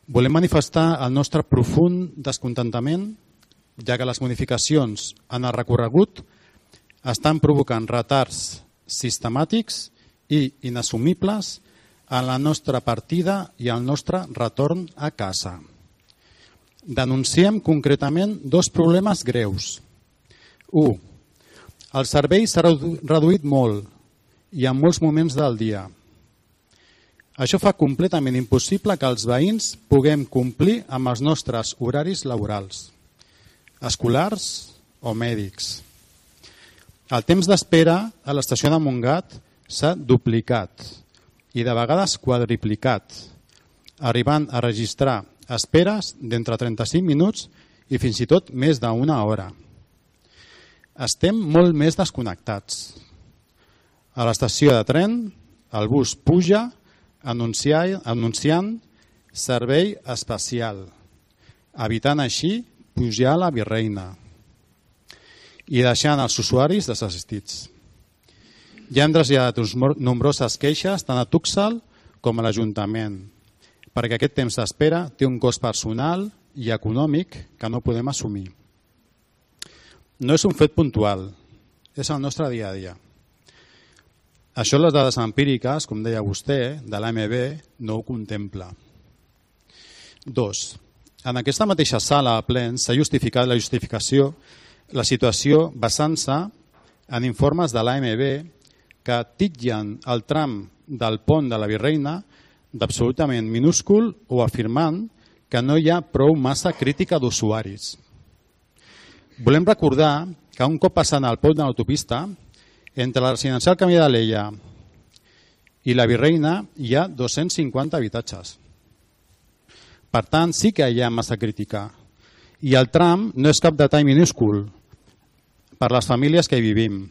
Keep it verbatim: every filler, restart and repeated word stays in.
Volem manifestar el nostre profund descontentament, ja que les modificacions en el recorregut estan provocant retards sistemàtics i inassumibles en la nostra partida i el nostre retorn a casa. Denunciem concretament dos problemes greus. u. El servei s'ha reduït molt i en molts moments del dia. Això fa completament impossible que els veïns puguem complir amb els nostres horaris laborals, escolars o mèdics. El temps d'espera a l'estació de Montgat s'ha duplicat i de vegades quadriplicat, arribant a registrar esperes d'entre trenta-cinc minuts i fins i tot més d'una hora. Estem molt més desconnectats. A l'estació de tren, el bus puja anunciant servei especial, evitant així pujar a la Virreina i deixant els usuaris desassistits. Ja hem traslladat nombroses queixes tant a Tuxal com a l'Ajuntament, perquè aquest temps d'espera té un cost personal i econòmic que no podem assumir. No és un fet puntual, és el nostre dia a dia. Això les dades empíriques, com deia vostè, de l'A M B no ho contempla. Dos. En aquesta mateixa sala a plens s'ha justificat la justificació, la situació basant-se en informes de l'A M B que titllen el tram del pont de la Virreina d'absolutament minúscul o afirmant que no hi ha prou massa crítica d'usuaris. Volem recordar que un cop passant al pont de l'autopista, entre la residencial Camí d'Alella i la Virreina hi ha dos-cents cinquanta habitatges. Per tant, sí que hi ha massa crítica. I el tram no és cap detall minúscul per les famílies que hi vivim.